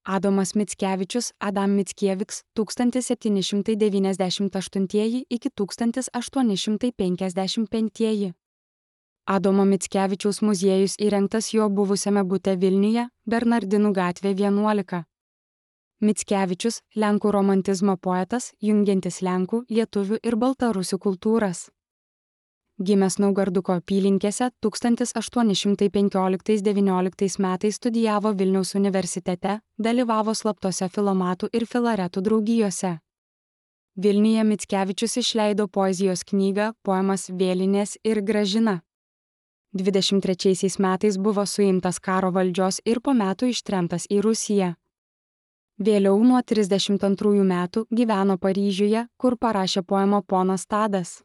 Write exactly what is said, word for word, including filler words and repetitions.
Adomas Mickevičius, Adam Mickieviks tūkstantis septyni šimtai devyniasdešimt aštuntieji iki tūkstantis aštuoni šimtai penkiasdešimt penktieji. Adomo Mickevičiaus muziejus įrengtas jo buvusiame bute Vilniuje, Bernardinų gatvė vienuolika. Mickevičius – Lenkų romantizmo poetas, jungiantis Lenkų, lietuvių ir baltarusių kultūras. Gimęs Naugarduko apylinkėse, tūkstantis aštuoni šimtai penkioliktais devynioliktais metais studijavo Vilniaus universitete, dalyvavo slaptose filomatų ir filaretų draugijose. Vilniuje Mickevičius išleido poezijos knygą Poemas Vėlinės ir Gražina. dvidešimt trečiaisiais metais buvo suimtas karo valdžios ir po metų ištremtas į Rusiją. Vėliau nuo trisdešimt antrųjų metų gyveno Paryžiuje, kur parašė poemą Ponas Tadas.